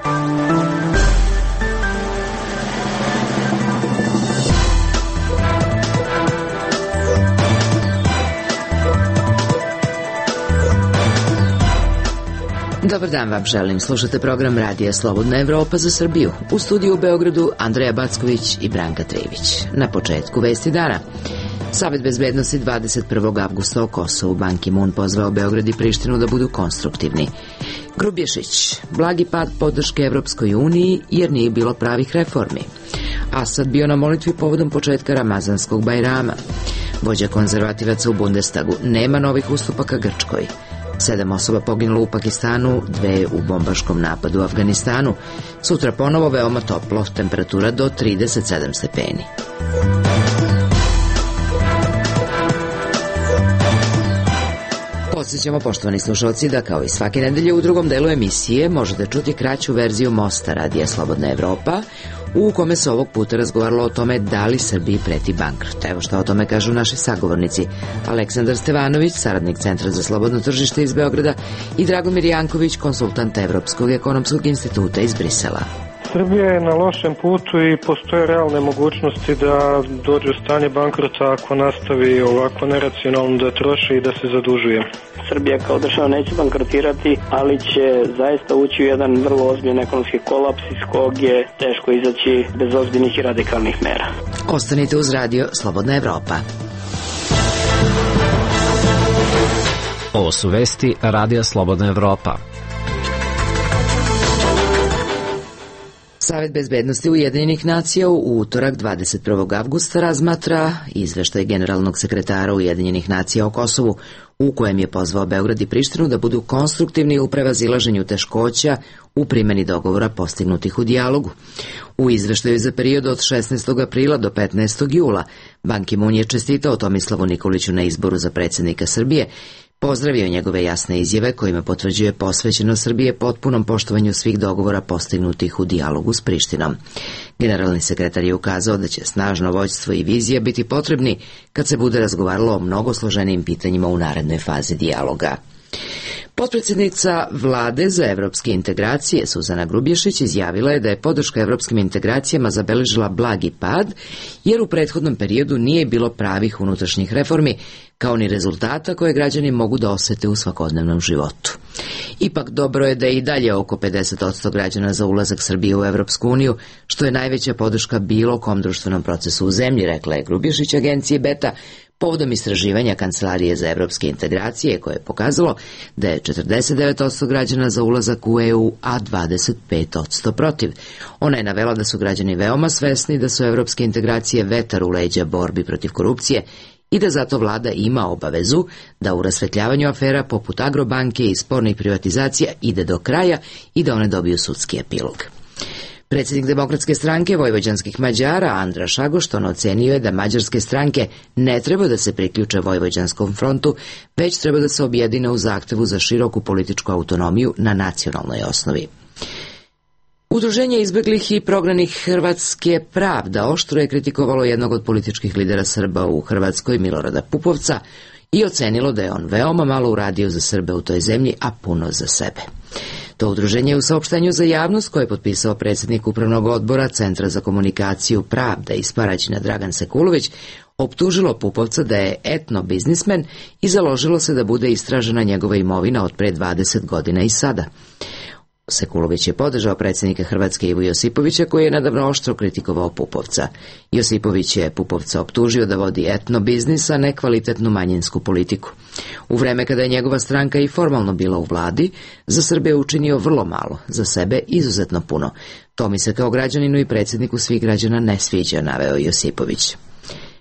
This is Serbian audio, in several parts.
Dobar dan vam želim. Slušate program Radija Slobodna Evropa za Srbiju. U studiju u Beogradu Andreja Backović i Branka Trivić. Na početku vesti dana. Savet bezbednosti 21. avgusta o Kosovu. Ban Ki-moon pozvao Beograd i Prištinu da budu konstruktivni. Grubješić. Blagi pad podrške Evropskoj uniji jer nije bilo pravih reformi. Asad bio na molitvi povodom početka Ramazanskog Bajrama. Vođa konzervativaca u Bundestagu. Nema novih ustupaka Grčkoj. 7 osoba poginulo u Pakistanu, 2 u bombaškom napadu u Afganistanu. Sutra ponovo veoma toplo, temperatura do 37 stepeni. Podsjećamo, poštovani slušalci, da kao i svake nedelje u drugom delu emisije možete čuti kraću verziju Mosta Radija Slobodna Evropa, u kome se ovog puta razgovaralo o tome da li Srbiji preti bankrot. Evo što o tome kažu naši sagovornici. Aleksandar Stevanović, saradnik Centra za slobodno tržište iz Beograda, i Dragomir Janković, konsultant Evropskog ekonomskog instituta iz Brisela. Srbija je na lošem putu i postoje realne mogućnosti da dođe u stanje bankrota ako nastavi ovako neracionalno da troši i da se zadužuje. Srbija kao država neće bankrotirati, ali će zaista ući u jedan vrlo ozbiljan ekonomski kolaps iz kog je teško izaći bez ozbiljnih i radikalnih mera. Ostanite uz Radio Slobodna Evropa. Ovo su vesti Radija Slobodna Evropa. Savet bezbednosti Ujedinjenih nacija u utorak 21. avgusta razmatra izveštaj generalnog sekretara Ujedinjenih nacija o Kosovu, u kojem je pozvao Beograd i Prištinu da budu konstruktivni u prevazilaženju teškoća u primjeni dogovora postignutih u dijalogu. U izveštaju za period od 16. aprila do 15. jula Ban Ki-moon je čestitao Tomislavu Nikoliću na izboru za predsjednika Srbije, pozdravio njegove jasne izjave kojima potvrđuje posvećenost Srbije potpunom poštovanju svih dogovora postignutih u dijalogu s Prištinom. Generalni sekretar je ukazao da će snažno vođstvo i vizija biti potrebni kad se bude razgovaralo o mnogo složenijim pitanjima u narednoj fazi dijaloga. Potpredsjednica Vlade za evropske integracije Suzana Grubješić izjavila je da je podrška evropskim integracijama zabeležila blagi pad, jer u prethodnom periodu nije bilo pravih unutrašnjih reformi, kao ni rezultata koje građani mogu da osete u svakodnevnom životu. Ipak dobro je da je i dalje oko 50% građana za ulazak Srbije u Evropsku uniju, što je najveća podrška bilo kom društvenom procesu u zemlji, rekla je Grubješić agenciji Beta, povodom istraživanja Kancelarije za evropske integracije koje je pokazalo da je 49% građana za ulazak u EU, a 25% protiv. Ona je navela da su građani veoma svesni da su evropske integracije vetar u leđa borbi protiv korupcije i da zato vlada ima obavezu da u rasvetljavanju afera poput Agrobanke i spornih privatizacija ide do kraja i da one dobiju sudski epilog. Predsjednik Demokratske stranke vojvođanskih Mađara Andra Šagošton ocenio je da mađarske stranke ne treba da se priključe Vojvođanskom frontu, već treba da se objedine u zahtevu za široku političku autonomiju na nacionalnoj osnovi. Udruženje izbeglih i prognanih Hrvatske Pravda oštro je kritikovalo jednog od političkih lidera Srba u Hrvatskoj, Milorada Pupovca, i ocenilo da je on veoma malo uradio za Srbe u toj zemlji, a puno za sebe. To udruženje je u saopštenju za javnost koje je potpisao predsjednik Upravnog odbora Centra za komunikaciju Pravda iz Paraćina Dragan Sekulović optužilo Pupovca da je etno biznismen i založilo se da bude istražena njegova imovina od pre 20 godina i sada. Sekulović je podržao predsjednika Hrvatske Ivu Josipovića, koji je nedavno oštro kritikovao Pupovca. Josipović je Pupovca optužio da vodi etno biznis, a ne kvalitetnu manjinsku politiku. U vreme kada je njegova stranka i formalno bila u vladi, za Srbe je učinio vrlo malo, za sebe izuzetno puno. To mi se kao građaninu i predsjedniku svih građana ne sviđa, naveo Josipović.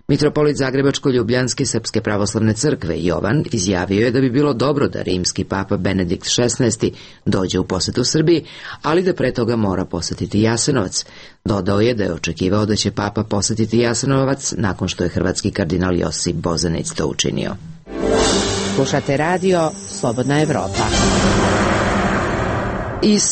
Mitropolit Zagrebačko-Ljubljanske Srpske pravoslavne crkve Jovan izjavio je da bi bilo dobro da rimski papa Benedikt XVI dođe u posetu Srbiji, ali da pre toga mora posetiti Jasenovac. Dodao je da je očekivao da će papa posetiti Jasenovac nakon što je hrvatski kardinal Josip Bozanić to učinio. Slušate radio Slobodna Evropa. Iz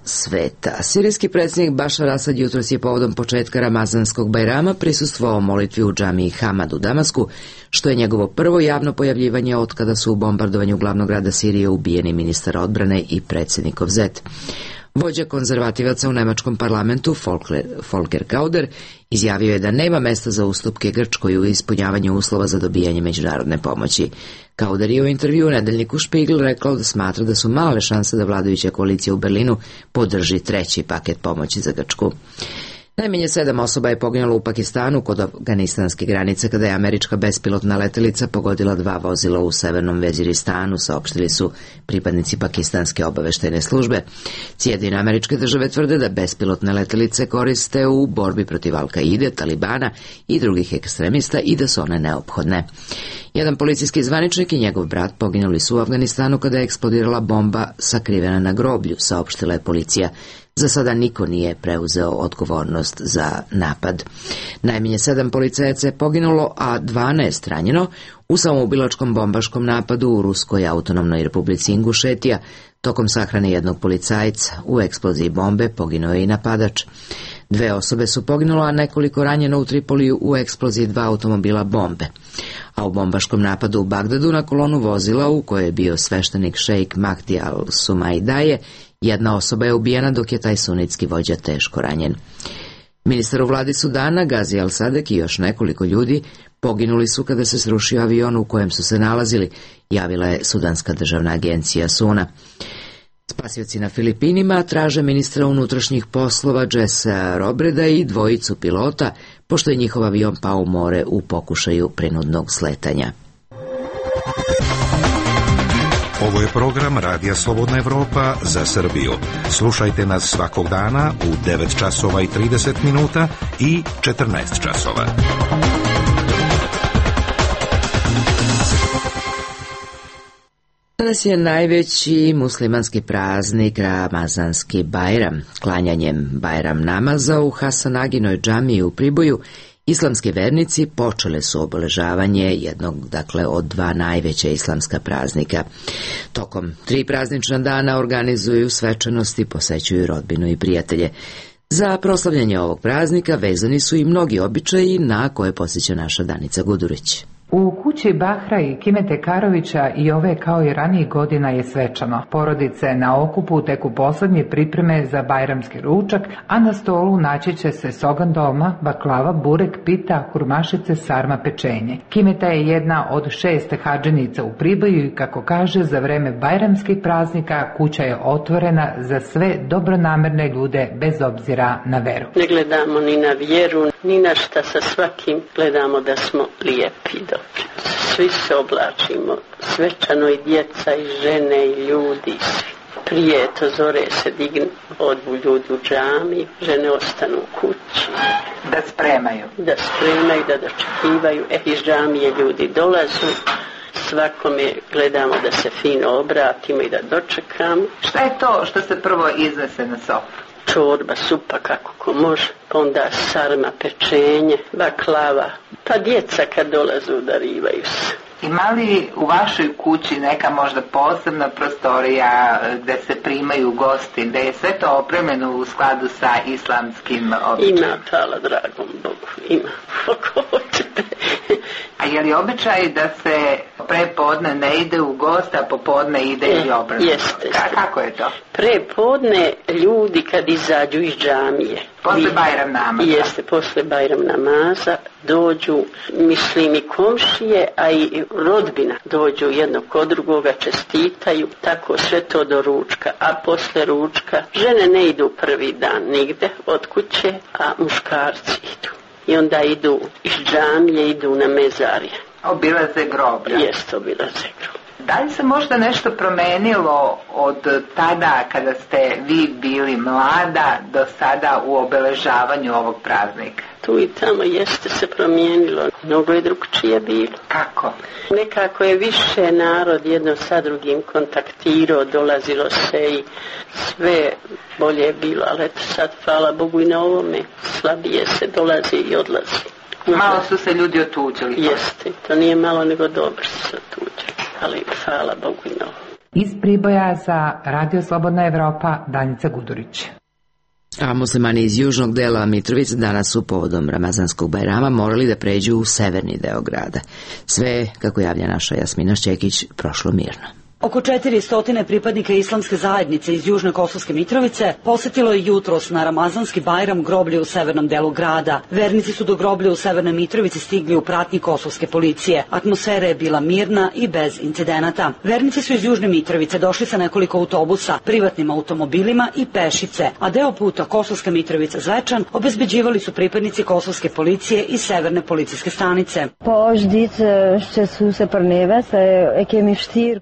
sveta. Sirijski predsjednik Bašar Asad jutros je povodom početka Ramazanskog Bajrama prisustvovao molitvi u džamiji Hamad u Damasku, što je njegovo prvo javno pojavljivanje od kada su u bombardovanju glavnog grada Sirije ubijeni ministar odbrane i predsjednikov zet. Vođa konzervativaca u nemačkom parlamentu Volker Kauder izjavio je da nema mesta za ustupke Grčkoj u ispunjavanju uslova za dobijanje međunarodne pomoći. Kauder je u intervju u nedeljniku Spiegel rekao da smatra da su male šanse da vladajuća koalicija u Berlinu podrži treći paket pomoći za Grčku. Najmanje 7 osoba je poginulo u Pakistanu kod afganistanske granice kada je američka bespilotna letelica pogodila 2 vozila u severnom Veziristanu, saopštili su pripadnici pakistanske obaveštajne službe. Sjedinjene Američke Države tvrde da bespilotne letelice koriste u borbi protiv Al-Kaide, Talibana i drugih ekstremista i da su one neophodne. Jedan policijski zvaničnik i njegov brat poginuli su u Afganistanu kada je eksplodirala bomba sakrivena na groblju, saopštila je policija. Za sada niko nije preuzeo odgovornost za napad. Najmanje 7 policajaca je poginulo, a 12 ranjeno u samoubilačkom bombaškom napadu u Ruskoj autonomnoj republici Ingušetija. Tokom sahrane jednog policajca u eksploziji bombe poginuo je i napadač. 2 osobe su poginule, a nekoliko ranjeno u Tripoliju u eksploziji 2 automobila bombe. A u bombaškom napadu u Bagdadu na kolonu vozila u kojoj je bio sveštenik šejk Mahdi al-Sumaidaje, jedna osoba je ubijena dok je taj sunitski vođa teško ranjen. Ministar u vladi Sudana, Gazi al-Sadek i još nekoliko ljudi poginuli su kada se srušio avion u kojem su se nalazili, javila je Sudanska državna agencija SUNA. Spasioci na Filipinima traže ministra unutrašnjih poslova Jessa Robreda i 2 pilota, pošto je njihov avion pao u more u pokušaju prinudnog sletanja. Ovo je program Radija Slobodna Evropa za Srbiju. Slušajte nas svakog dana u 9 časova i 30 minuta i 14 časova. Danas je najveći muslimanski praznik Ramazanski Bajram. Klanjanjem Bajram namaza u Hasanaginoj džamiji u Priboju islamski vernici počele su obeležavanje jednog, od 2 najveća islamska praznika. Tokom 3 praznična dana organizuju svečanosti, posećuju rodbinu i prijatelje. Za proslavljanje ovog praznika vezani su i mnogi običaji na koje podsjeća naša Danica Gudurić. U kući Bahra i Kimete Karovića i ove kao i ranijih godina je svečano. Porodice na okupu teku poslednje pripreme za bajramski ručak, a na stolu naći će se sogan doma, baklava, burek, pita, hurmašice, sarma, pečenje. Kimeta je jedna od 6 hadženika u Priboju i kako kaže, za vreme bajramskih praznika kuća je otvorena za sve dobronamerne ljude bez obzira na veru. Ne gledamo ni na vjeru, ni na šta, sa svakim gledamo da smo lijepi. Svi se oblačimo, svečano i djeca i žene i ljudi, svi. Prije to zore se dignu, odu ljudi u džami, žene ostanu u kući. Da spremaju, da dočekivaju, iz džamije ljudi dolazu. Svakome gledamo da se fino obratimo i da dočekamo. Šta je to što se prvo iznese na sofu? Čorba, supa kako ko može, pa onda sarma, pečenje, baklava, pa djeca kad dolaze udarivaju se. Ima li u vašoj kući neka možda posebna prostorija gde se primaju gosti, gde je sve to opremljeno u skladu sa islamskim običajima? Ima, hvala dragom Bogu, ima, ako hoćete. A je li običaj da se prepodne ne ide u gost, a popodne ide i obratno? Jeste. Kako je to? Prepodne ljudi kad izađu iz džamije. Posle Bajram namaza. Jeste, posle Bajram namaza dođu, mislim i komšije, a i rodbina dođu jedno kod drugoga, čestitaju, tako sve to do ručka, a posle ručka žene ne idu prvi dan nigde od kuće, a muškarci idu. I onda idu iz džamije, idu na mezarje. Obilaze groblja. Jeste, obilaze groblja. Da li se možda nešto promenilo od tada kada ste vi bili mlada do sada u obeležavanju ovog praznika? Tu i tamo jeste se promijenilo, mnogo je drugčije bilo. Kako? Nekako je više narod jedno sa drugim kontaktirao, dolazilo se i sve bolje je bilo, ali eto sad, hvala Bogu i na ovome, slabije se dolazi i odlazi. Malo su se ljudi otuđili. Jeste, to nije malo nego dobro su se otuđili, ali hvala Bogu i na ovome. Iz Priboja za Radio Slobodna Evropa, Danica Gudurić. A muslimani iz južnog dela Mitrovice danas su povodom Ramazanskog Bajrama morali da pređu u severni deo grada. Sve, kako javlja naša Jasmina Šćekić, prošlo mirno. Oko 400 pripadnika islamske zajednice iz Južne Kosovske Mitrovice posetilo je jutros na Ramazanski Bajram groblje u severnom delu grada. Vernici su do groblja u Severnoj Mitrovici stigli u pratnji kosovske policije. Atmosfera je bila mirna i bez incidenata. Vernici su iz Južne Mitrovice došli sa nekoliko autobusa, privatnim automobilima i pešice, a deo puta Kosovska Mitrovica Zvečan obezbeđivali su pripadnici kosovske policije i severne policijske stanice.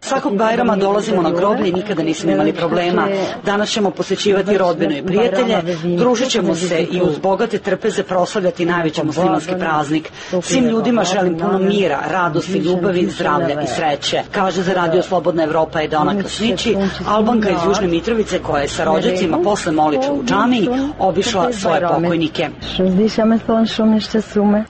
Svakog Bajrama dolazimo na groblje i nikada nismo imali problema. Danas ćemo posjećivati rodbinu i prijatelje, družit ćemo se i uz bogate trpeze proslavljati najveći muslimanski praznik. Svim ljudima želim puno mira, radosti, ljubavi, zdravlja i sreće, kaže za Radio Slobodna Evropa Edona Klasnići, Albanka iz Južne Mitrovice koja je sa rođacima posle molitve u džamiji obišla svoje pokojnike.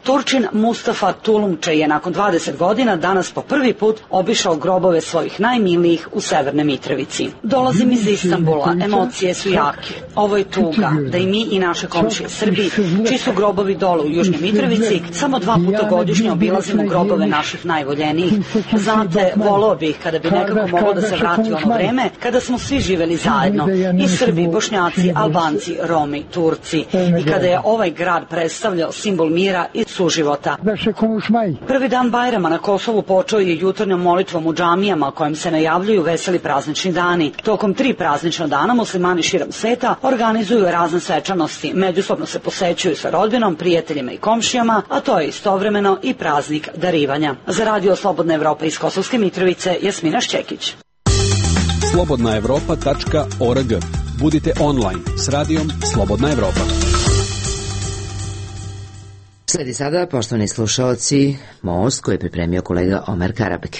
Turčin Mustafa Tulumče je nakon 20 godina danas po prvi put obišao grobove svojih najmilijih u Severnoj Mitrovici. Dolazim iz Istanbula, emocije su jake. Ovo je tuga da i mi i naše komšije Srbi, čiji su grobovi dole u Južnoj Mitrovici, samo 2 puta godišnje obilazimo grobove naših najvoljenijih. Znate, voleo bih kada bi nekako moglo da se vrati ono vreme kada smo svi živeli zajedno, i Srbi, Bošnjaci, Albanci, Romi, Turci, i kada je ovaj grad predstavljao simbol mira i suživota. Prvi dan Bajrama na Kosovu počeo je jutarnjom molitvom u džamijama kojim se najavljuju veseli praznični dani. Tokom 3 praznična dana muslimani širom sveta organizuju razne svečanosti, međusobno se posećuju sa rodbinom, prijateljima i komšijama, a to je istovremeno i praznik darivanja. Za Radio Slobodna Evropa iz Kosovske Mitrovice, Jasmina Šćekić. slobodnaevropa.org. Budite online s radijom Slobodna Evropa. Sledi sada, poštovani slušaoci, Most koji je pripremio kolega Omer Karabek.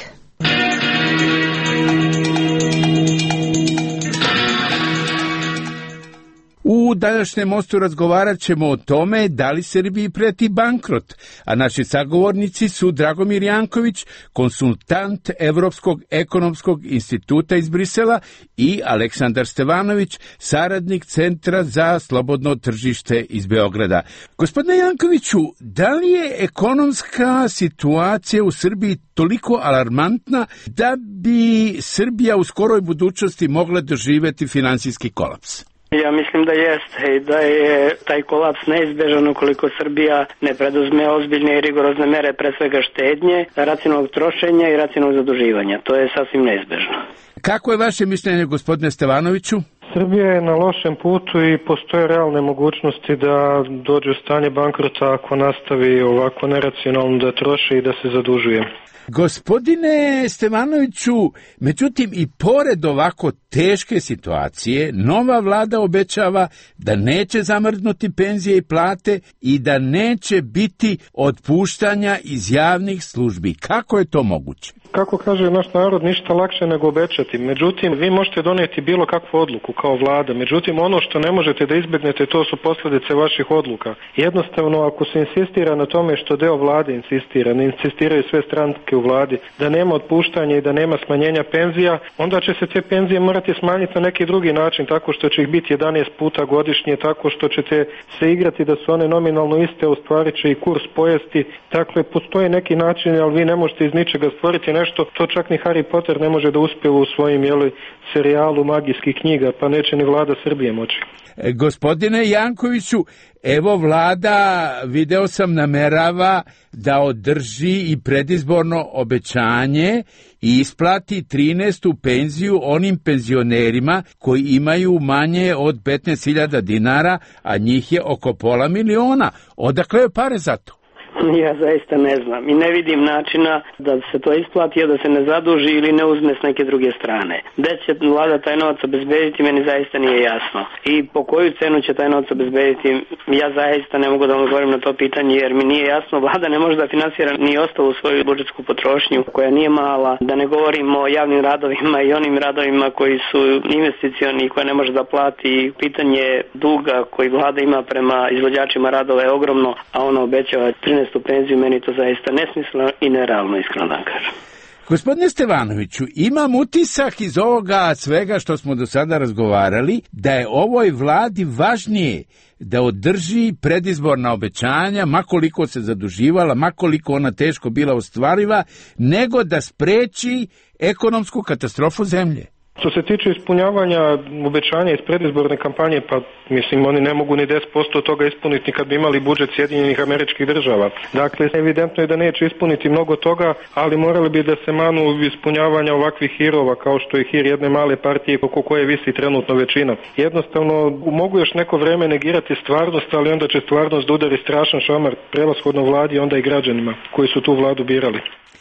U današnjem Mostu razgovarat ćemo o tome da li Srbiji preti bankrot, a naši sagovornici su Dragomir Janković, konsultant Evropskog ekonomskog instituta iz Brisela, i Aleksandar Stevanović, saradnik Centra za slobodno tržište iz Beograda. Gospodine Jankoviću, da li je ekonomska situacija u Srbiji toliko alarmantna da bi Srbija u skoroj budućnosti mogla doživjeti finansijski kolaps? Ja mislim da jeste i da je taj kolaps neizbežan ukoliko Srbija ne preduzme ozbiljne i rigorozne mere, pre svega štednje, racionalnog trošenja i racionalnog zaduživanja. To je sasvim neizbežno. Kako je vaše mišljenje, gospodine Stevanoviću? Srbija je na lošem putu i postoje realne mogućnosti da dođe u stanje bankrota ako nastavi ovako neracionalno da troši i da se zadužuje. Gospodine Stevanoviću, međutim i pored ovako teške situacije, nova vlada obećava da neće zamrznuti penzije i plate i da neće biti otpuštanja iz javnih službi. Kako je to moguće? Kako kaže naš narod, ništa lakše nego obećati. Međutim, vi možete donijeti bilo kakvu odluku kao vlada. Međutim, ono što ne možete da izbjegnete, to su posljedice vaših odluka. Jednostavno, ako se insistira na tome što deo vlade insistira, ne insistiraju sve stranke u vladi, da nema otpuštanja i da nema smanjenja penzija, onda će se te penzije morati smanjiti na neki drugi način, tako što će ih biti 11 puta godišnje, tako što ćete se igrati da su one nominalno iste, u stvari će i kurs pojesti. Dakle, postoje neki način, ali vi ne možete iz ničega stvoriti nešto, to čak ni Harry Potter ne može da uspije u svojim serijalu magijskih knjiga, pa neće ni vlada Srbije moći. Gospodine Jankoviću, evo vlada, video sam, namerava da održi i predizborno obećanje i isplati 13. penziju onim penzionerima koji imaju manje od 15.000 dinara, a njih je oko 500.000. Odakle je pare za to? Ja zaista ne znam i ne vidim načina da se to isplati, a da se ne zaduži ili ne uzme s neke druge strane. Gde će vlada taj novac obezbediti, meni zaista nije jasno. I po koju cenu će taj novac obezbediti, ja zaista ne mogu da vam odgovorim na to pitanje, jer mi nije jasno. Vlada ne može da finansira ni ostalu svoju budžetsku potrošnju, koja nije mala, da ne govorimo o javnim radovima i onim radovima koji su investicioni, koje ne može da plati. Pitanje duga koji vlada ima prema izvođačima radova je ogromno, a ono obećava 13. penziju, meni to zaista nesmisleno i nerealno, iskreno da kažem. Gospodine Stevanoviću, imam utisak iz ovoga svega što smo do sada razgovarali, da je ovoj vladi važnije da održi predizborna obećanja, makoliko se zaduživala, makoliko ona teško bila ostvariva, nego da spreči ekonomsku katastrofu zemlje? Što se tiče ispunjavanja obećanja iz predizborne kampanje, pa mislim oni ne mogu ni 10% toga ispuniti kad bi imali budžet Sjedinjenih Američkih Država. Dakle, evidentno je da neće ispuniti mnogo toga, ali morali bi da se manu ispunjavanja ovakvih hirova kao što je hir jedne male partije oko koje visi trenutno većina. Jednostavno, mogu još neko vreme negirati stvarnost, ali onda će stvarnost da udari strašan šamar prevashodno vladi, onda i građanima koji su tu vladu birali.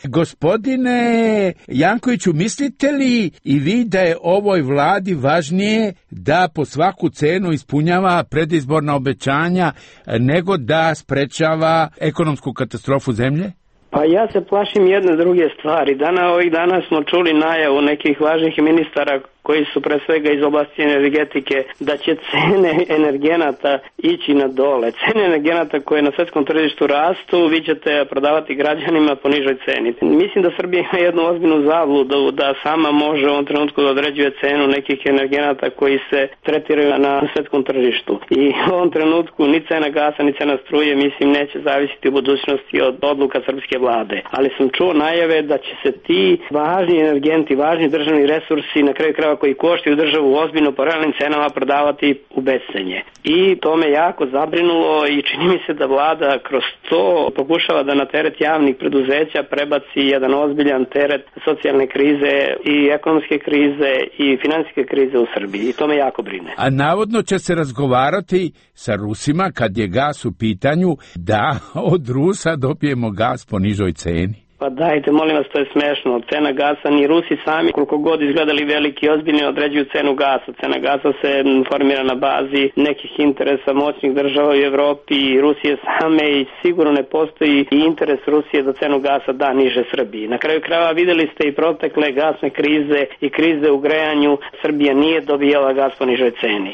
Gospodine Jankoviću, mislite li i vi da je ovoj vladi važnije da po svaku cenu ispunjava predizborna obećanja nego da sprečava ekonomsku katastrofu zemlje? Pa ja se plašim jedne druge stvari. Ovih dana smo čuli najavu nekih važnih ministara koji su pre svega iz oblasti energetike, da će cene energenata ići na dole. Cene energenata koje na svetskom tržištu rastu, vi ćete prodavati građanima po nižoj ceni. Mislim da Srbija ima jednu ozbiljnu zabludu da sama može u ovom trenutku da određuje cenu nekih energenata koji se tretiraju na svetskom tržištu. I u ovom trenutku ni cena gasa, ni cena struje, mislim, neće zavisiti u budućnosti od odluka srpske vlade. Ali sam čuo najave da će se ti važni energenti, važni državni resursi, na kraju krajeva koji koštaju državu ozbiljno po realnim cenama, prodavati u bescenje. I to me jako zabrinulo i čini mi se da vlada kroz to pokušava da na teret javnih preduzeća prebaci jedan ozbiljan teret socijalne krize i ekonomske krize i finansijske krize u Srbiji. I to me jako brine. A navodno će se razgovarati sa Rusima kad je gas u pitanju da od Rusa dobijemo gas po nižoj ceni. Pa dajte, molim vas, to je smešno. Cena gasa, ni Rusi sami, koliko god izgledali veliki, ozbiljni, određuju cenu gasa. Cena gasa se formira na bazi nekih interesa moćnih država u Evropi i Rusije same i sigurno ne postoji i interes Rusije da cenu gasa da niže Srbiji. Na kraju krajeva videli ste i protekle gasne krize i krize u grejanju. Srbija nije dobijala gas po nižoj ceni.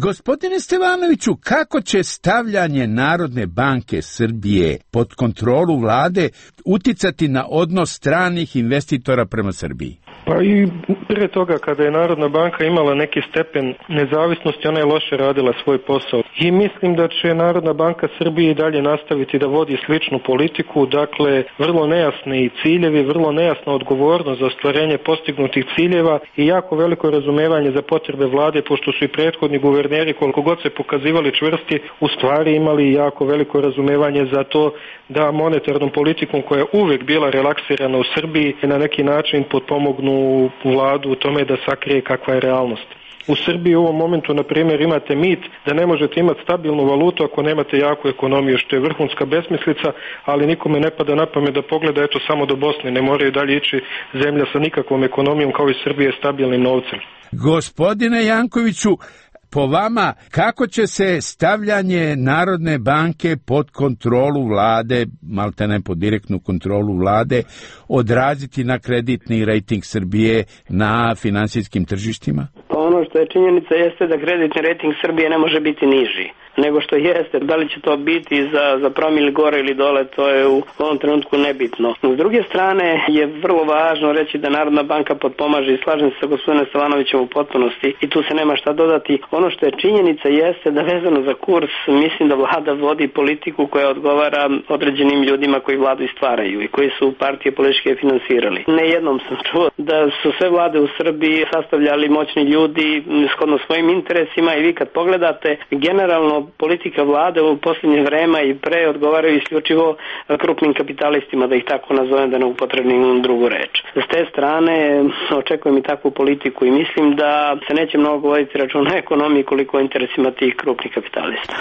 Gospodine Stevanoviću, kako će stavljanje Narodne banke Srbije pod kontrolu vlade uticati na odnos stranih investitora prema Srbiji? Pa i prije toga kada je Narodna banka imala neki stepen nezavisnosti, ona je loše radila svoj posao. I mislim da će Narodna banka Srbije i dalje nastaviti da vodi sličnu politiku, dakle vrlo nejasni ciljevi, vrlo nejasna odgovornost za ostvarenje postignutih ciljeva i jako veliko razumevanje za potrebe vlade, pošto su i prethodni guverneri, koliko god se pokazivali čvrsti, u stvari imali jako veliko razumevanje za to da monetarnom politikom koja je uvek bila relaksirana u Srbiji na neki način potpomognu vladu u tome da sakrije kakva je realnost. U Srbiji u ovom momentu, na primjer, imate mit da ne možete imati stabilnu valutu ako nemate jaku ekonomiju, što je vrhunska besmislica, ali nikome ne pada na pamet da pogleda eto samo do Bosne, ne moraju dalje ići zemlja sa nikakvom ekonomijom kao i Srbije stabilnim novcem. Gospodine Jankoviću, po vama, kako će se stavljanje Narodne banke pod kontrolu vlade, maltene pod direktnu kontrolu vlade, odraziti na kreditni rejting Srbije na finansijskim tržištima? Pa ono što je činjenica jeste da kreditni rejting Srbije ne može biti niži nego što jeste. Da li će to biti za promil gore ili dole, to je u ovom trenutku nebitno. S druge strane je vrlo važno reći da Narodna banka potpomaže i slažem se sa gospodinom Stevanovićem u potpunosti i tu se nema šta dodati. Ono što je činjenica jeste da vezano za kurs mislim da vlada vodi politiku koja odgovara određenim ljudima koji vladu istvaraju i koji su partije političke finansirali. Ne jednom sam čuo da su sve vlade u Srbiji sastavljali moćni ljudi shodno svojim interesima i vi kad pogledate generalno politika vlade u posljednje vreme i pre odgovaraju isključivo krupnim kapitalistima, da ih tako nazovem, da ne upotrebnim drugu reč. S te strane očekujem i takvu politiku i mislim da se neće mnogo voditi račun o ekonomiji koliko o interesima tih krupnih kapitalista.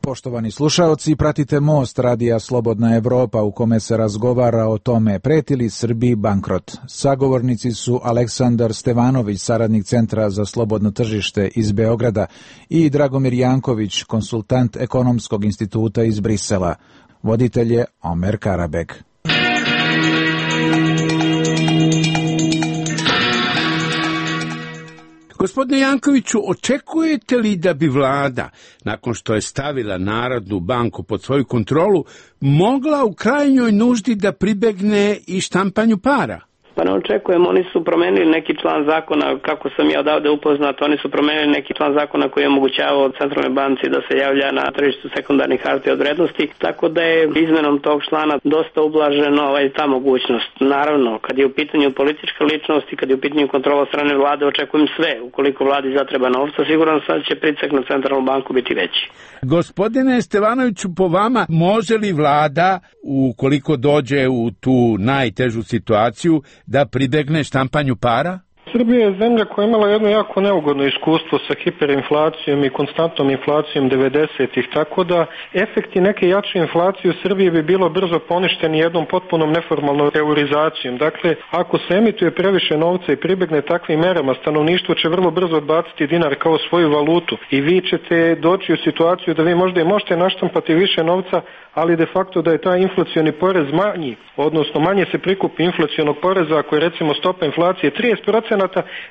Poštovani slušaoci, pratite Most radija Slobodna Evropa u kome se razgovara o tome preti li Srbiji bankrot. Sagovornici su Aleksandar Stevanović, saradnik Centra za slobodno tržište iz Beograda i Dragomir Janković, konsultant Ekonomskog instituta iz Brisela. Voditelj je Omer Karabek. Gospodine Jankoviću, očekujete li da bi vlada, nakon što je stavila Narodnu banku pod svoju kontrolu, mogla u krajnjoj nuždi da pribegne i štampanju para? Pa ne očekujem, oni su promenili neki član zakona, kako sam ja odavde upoznat, oni su promenili neki član zakona koji je omogućavao Centralnoj banci da se javlja na tržištu sekundarnih hartija od vrednosti, tako da je izmenom tog člana dosta ublaženo ta mogućnost. Naravno, kad je u pitanju politička ličnost i kad je u pitanju kontrola strane vlade, očekujem sve. Ukoliko vladi zatreba novca, sigurno sad će pritisak na Centralnu banku biti veći. Gospodine Stevanoviću, po vama, može li vlada, ukoliko dođe u tu najtežu situaciju, da pribegne štampanju para? Srbija je zemlja koja je imala jedno jako neugodno iskustvo sa hiperinflacijom i konstantnom inflacijom 90-ih, tako da efekti neke jače inflacije u Srbiji bi bilo brzo poništeni jednom potpunom neformalnom eurizacijom. Dakle, ako se emituje previše novca i pribegne takvim merama, stanovništvo će vrlo brzo odbaciti dinar kao svoju valutu i vi ćete doći u situaciju da vi možda i možete naštampati više novca, ali de facto da je taj inflacioni porez manji, odnosno manje se prikupi inflacionog poreza ako je recimo stopa inflacije 30%,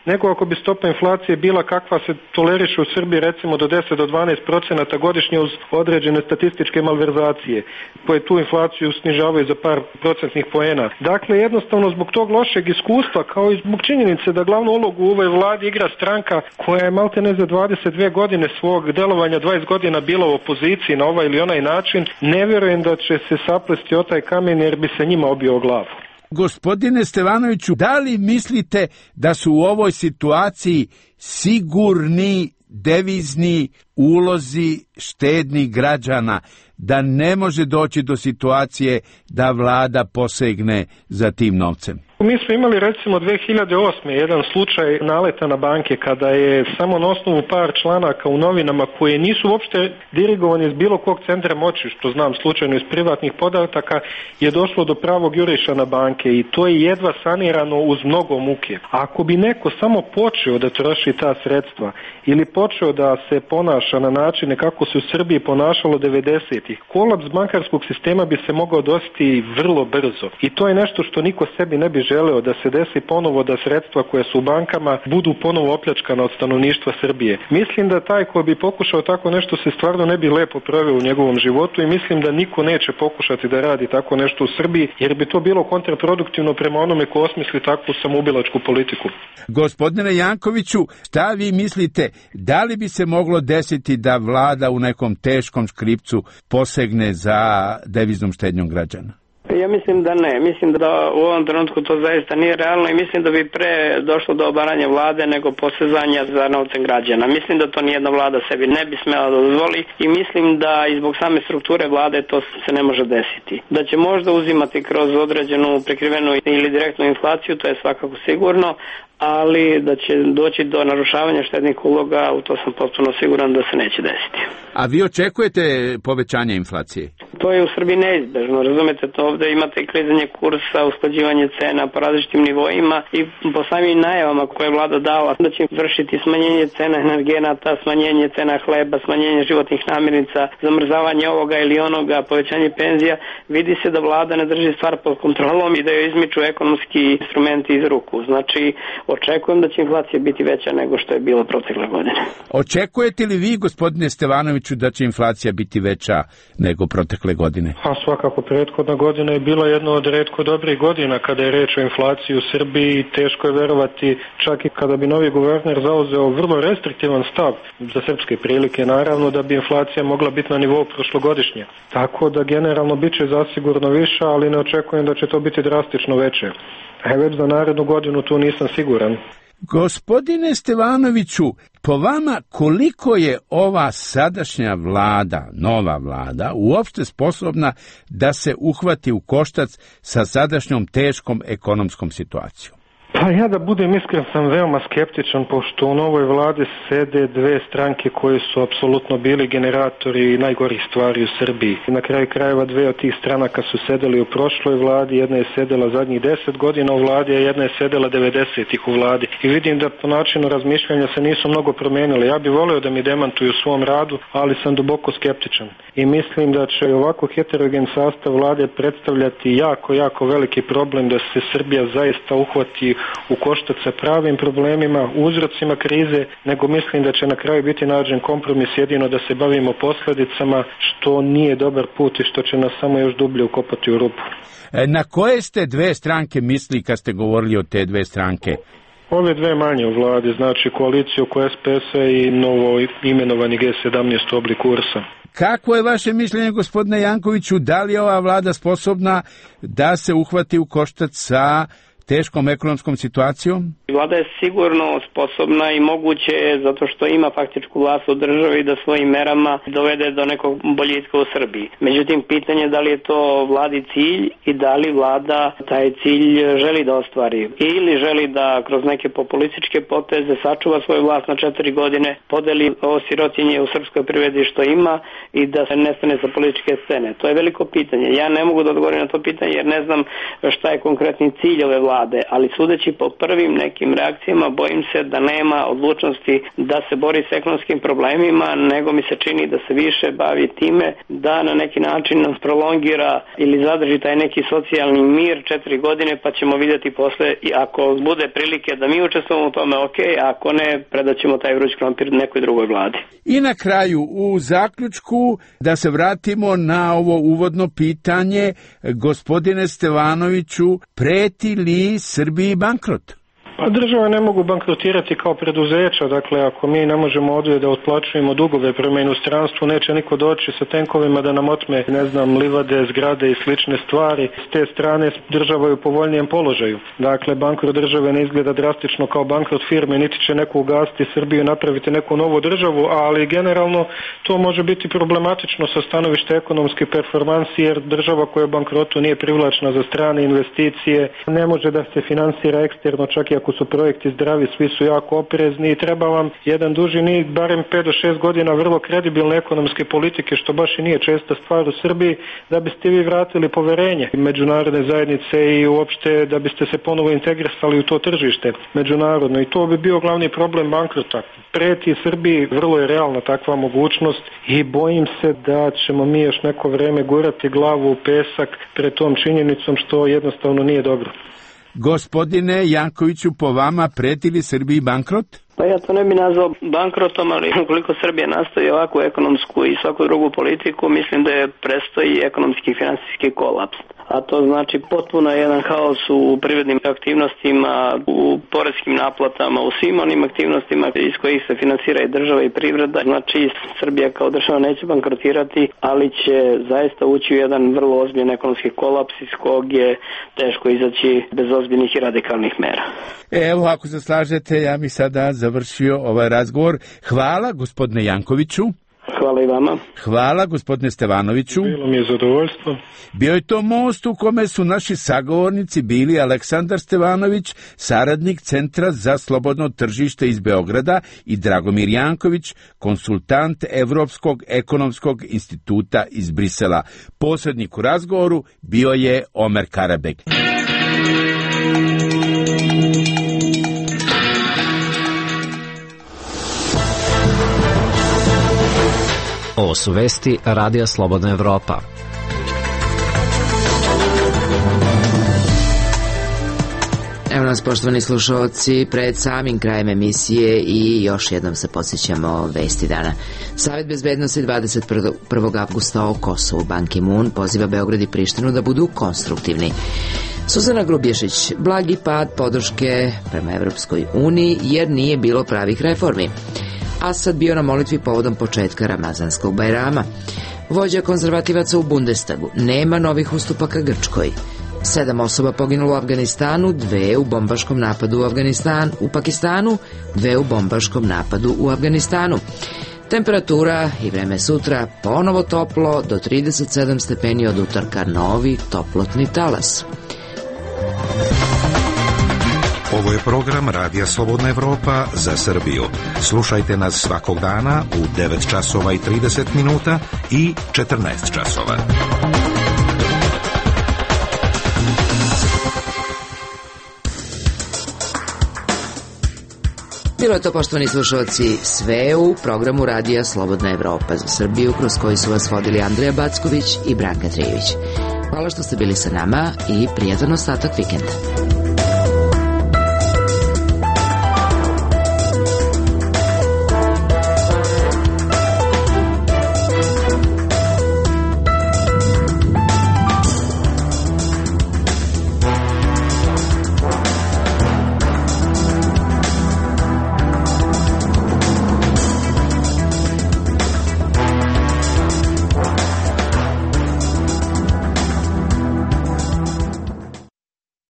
nego ako bi stopa inflacije bila kakva se toleriše u Srbiji recimo do 10 do 12% godišnje uz određene statističke malverzacije koje tu inflaciju snižavaju za par procentnih poena. Dakle, jednostavno zbog tog lošeg iskustva kao i zbog činjenice da glavnu ulogu u ovoj vladi igra stranka koja je maltene za 22 godine svog delovanja 20 godina bila u opoziciji na ovaj ili onaj način, ne vjerujem da će se saplesti o taj kamen jer bi se njima obio glavu. Gospodine Stevanoviću, da li mislite da su u ovoj situaciji sigurni devizni ulozi štednih građana, da ne može doći do situacije da vlada posegne za tim novcem? Mi smo imali recimo 2008. jedan slučaj naleta na banke kada je samo na osnovu par članaka u novinama koje nisu uopšte dirigovani iz bilo kog centra moći, što znam slučajno iz privatnih podataka, je došlo do pravog juriša na banke i to je jedva sanirano uz mnogo muke. Ako bi neko samo počeo da troši ta sredstva ili počeo da se ponaša na načine kako se u Srbiji ponašalo 90-ih, kolaps bankarskog sistema bi se mogao desiti vrlo brzo. I to je nešto što niko sebi ne bi želeo, da se desi ponovo da sredstva koje su u bankama budu ponovo opljačkana od stanovništva Srbije. Mislim da taj ko bi pokušao tako nešto se stvarno ne bi lepo proveo u njegovom životu i mislim da niko neće pokušati da radi tako nešto u Srbiji jer bi to bilo kontraproduktivno prema onome ko osmisli takvu samoubilačku politiku. Gospodine Jankoviću, šta vi mislite, da li bi se moglo desiti da vlada u nekom teškom škripcu posegne za deviznom štednjom građana? Ja mislim da ne. Mislim da u ovom trenutku to zaista nije realno i mislim da bi pre došlo do obaranja vlade nego posezanja za novcem građana. Mislim da to nijedna vlada sebi ne bi smela da dozvoli i mislim da i zbog same strukture vlade to se ne može desiti. Da će možda uzimati kroz određenu prekrivenu ili direktnu inflaciju, to je svakako sigurno, ali da će doći do narušavanja štednih uloga, u to sam potpuno siguran da se neće desiti. A vi očekujete povećanje inflacije? To je u Srbiji neizbežno, razumete, to ovde imate klizanje kursa, usklađivanje cena po različitim nivoima i po samim najavama koje je vlada dala da će vršiti smanjenje cena energenata, smanjenje cena hleba, smanjenje životnih namirnica, zamrzavanje ovoga ili onoga, povećanje penzija, vidi se da vlada ne drži stvar pod kontrolom i da joj izmiču ekonomski instrumenti iz ruku. Znači, očekujem da će inflacija biti veća nego što je bilo protekle godine. Očekujete li vi, gospodine Stevanoviću, da će inflacija biti veća nego protekle godine? A svakako, prethodna godina je bila jedna od retko dobrih godina kada je reč o inflaciji u Srbiji. Teško je verovati, čak i kada bi novi guverner zauzeo vrlo restriktivan stav za srpske prilike, naravno da bi inflacija mogla biti na nivou prošlogodišnje. Tako da generalno bit će zasigurno više, ali ne očekujem da će to biti drastično veće. Već za narednu godinu tu nisam siguran. Gospodine Stevanoviću, po vama koliko je ova sadašnja vlada, nova vlada, uopšte sposobna da se uhvati u koštac sa sadašnjom teškom ekonomskom situacijom? Pa ja da budem iskren sam veoma skeptičan, pošto u novoj vladi sede dve stranke koje su apsolutno bili generatori najgorih stvari u Srbiji. Na kraju krajeva dve od tih stranaka su sedeli u prošloj vladi, jedna je sedela zadnjih 10 godina u vladi, a jedna je sedela 90-ih u vladi. I vidim da po načinu razmišljanja se nisu mnogo promenili. Ja bih voleo da mi demantuju u svom radu, ali sam duboko skeptičan. I mislim da će ovako heterogen sastav vlade predstavljati jako veliki problem da se Srbija zaista uhvati u koštac sa pravim problemima, uzrocima krize, nego mislim da će na kraju biti nađen kompromis, jedino da se bavimo posljedicama, što nije dobar put i što će nas samo još dublje ukopati u rupu. Na koje ste dve stranke misli kad ste govorili o te dve stranke? Ove dve manje u vladi, znači koaliciju oko SPS-a i novo imenovani G17 oblik URS-a. Kako je vaše mišljenje, gospodine Jankoviću, da li je ova vlada sposobna da se uhvati u koštac sa teškom ekonomskom situacijom? Vlada je sigurno sposobna i moguće je zato što ima faktičku vlast u državi da svojim merama dovede do nekog boljitka u Srbiji. Međutim, pitanje je da li je to vladi cilj i da li vlada taj cilj želi da ostvari. Ili želi da kroz neke populističke poteze sačuva svoju vlast na 4 godine, podeli ovo sirotinje u srpskoj privredi što ima i da se nestane sa političke scene. To je veliko pitanje. Ja ne mogu da odgovorim na to pitanje jer ne znam šta je konkretni cilj ove vlade, ali sudeći po prvim nekim reakcijama bojim se da nema odlučnosti da se bori s ekonomskim problemima, nego mi se čini da se više bavi time da na neki način prolongira ili zadrži taj neki socijalni mir 4 godine, pa ćemo vidjeti posle i ako bude prilike da mi učestvujemo u tome, ok, a ako ne, predaćemo taj vruć krompir nekoj drugoj vladi. I na kraju, u zaključku, da se vratimo na ovo uvodno pitanje, gospodine Stevanoviću, preti li Srbiji bankrot? Pa države ne mogu bankrotirati kao preduzeća, dakle ako mi ne možemo ovdje da otplaćujemo dugove prema inostranstvu, neće niko doći sa tenkovima da nam otme, ne znam, livade, zgrade i slične stvari. S te strane država je u povoljnijem položaju. Dakle, bankrot države ne izgleda drastično kao bankrot firme, niti će neko ugasiti Srbiju i napraviti neku novu državu, ali generalno to može biti problematično sa stanovišta ekonomske performansi, jer država koja je u bankrotu nije privlačna za strane investicije, ne može da se finansira eksterno, čak i ako su projekti zdravi, svi su jako oprezni i treba vam jedan duži niz, barem 5 do 6 godina vrlo kredibilne ekonomske politike, što baš i nije česta stvar u Srbiji, da biste vi vratili poverenje međunarodne zajednice i uopšte da biste se ponovo integrisali u to tržište međunarodno. I to bi bio glavni problem bankrota. Preti Srbiji, vrlo je realna takva mogućnost i bojim se da ćemo mi još neko vreme gurati glavu u pesak pred tom činjenicom, što jednostavno nije dobro. Gospodine Jankoviću, po vama preti li Srbiji bankrot? Pa ja to ne bi nazvao bankrotom, ali ukoliko Srbija nastavi ovakvu ekonomsku i svaku drugu politiku, mislim da je prestoji ekonomski i finansijski kolaps. A to znači potpuno jedan haos u privrednim aktivnostima, u poreskim naplatama, u svim onim aktivnostima iz kojih se finansira i država i privreda. Znači Srbija kao država neće bankrotirati, ali će zaista ući u jedan vrlo ozbiljan ekonomski kolaps iz kog je teško izaći bez ozbiljnih i radikalnih mera. Evo, ako se slažete, ja bih sada završio ovaj razgovor. Hvala, gospodine Jankoviću. Hvala i vama. Hvala, gospodine Stevanoviću. Bilo mi je zadovoljstvo. Bio je to most u kome su naši sagovornici bili Aleksandar Stevanović, saradnik Centra za slobodno tržište iz Beograda, i Dragomir Janković, konsultant Evropskog ekonomskog instituta iz Brisela. Posrednik u razgovoru bio je Omer Karabek. Ovo su vesti Radija Slobodna Evropa. Evo nas, poštovani slušalci, pred samim krajem emisije i još jednom se podsjećamo vesti dana. Savet bezbednosti 21. avgusta o Kosovu. Ban Ki-moon poziva Beograd i Prištinu da budu konstruktivni. Suzana Grubješić, blagi pad podrške prema Evropskoj uniji jer nije bilo pravih reformi. Asad bio na molitvi povodom početka Ramazanskog Bajrama. Vođa konzervativaca u Bundestagu, nema novih ustupaka Grčkoj. 7 osoba poginulo u Afganistanu, 2 u bombaškom napadu u Pakistanu, 2 u bombaškom napadu u Afganistanu. Temperatura i vreme sutra ponovo toplo, do 37 stepeni od utorka novi toplotni talas. Ovo je program Radija Slobodna Evropa za Srbiju. Slušajte nas svakog dana u 9 časova i 30 minuta i 14 časova. Bilo je to, poštovani slušalci, sve u programu Radija Slobodna Evropa za Srbiju, kroz koji su vas vodili Andreja Backović i Branka Trijević. Hvala što ste bili sa nama i prijatan ostatak vikenda.